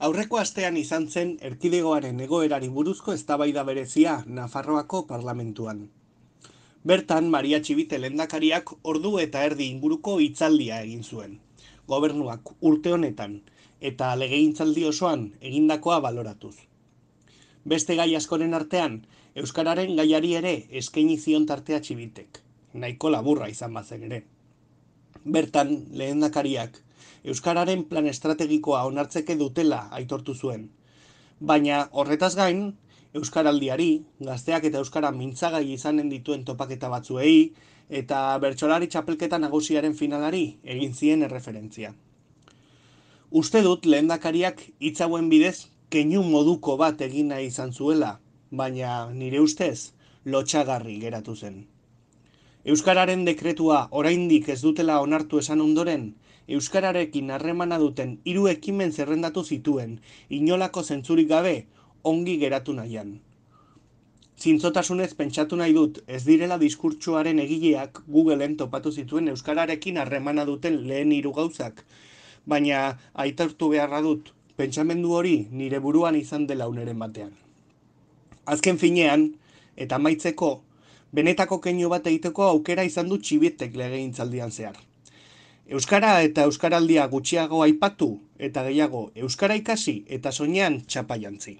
Aurreko astean izan zen erkidegoaren egoerari buruzko eztabaida berezia Nafarroako parlamentuan. Bertan, Maria Txibite lehendakariak ordu eta erdi inguruko hitzaldia egin zuen. Gobernuak urte honetan eta legegintzaldi osoan egindakoa baloratuz. Beste gai askoren artean, euskararen gaiari ere eskaini zion tartea Txibitek. Nahiko laburra izan bazen ere. Bertan, lehendakariak euskararen plan estrategikoa onartzeke dutela aitortu zuen. Baina horretaz gain, euskaraldiari, gazteak eta euskara mintzagai izanen dituen topaketa batzuei eta bertsolari txapelketa nagusiaren finalari egin zien erreferentzia. Uste dut lehendakariak hitz hauen bidez keinu moduko bat egin nahi izan zuela, baina nire ustez lotsagarri geratu zen. Euskararen dekretua oraindik ez dutela onartu esan ondoren, euskararekin harremana duten 3 ekimen zerrendatu zituen, inolako zentzurik gabe ongi geratu nahian. Zintzotasunez pentsatu nahi dut ez direla diskurtsoaren egileak Googleen topatu zituen euskararekin harremana duten lehen 3 gauzak, baina aitortu beharra dut, pentsamendu hori nire buruan izan dela uneren batean. Azken finean, eta amaitzeko, benetako keinu bat egiteko aukera izan du Txibitek legegintzaldian zehar. Euskara eta euskaraldia gutxiago aipatu eta gehiago euskara ikasi eta soinean txapa jantzi.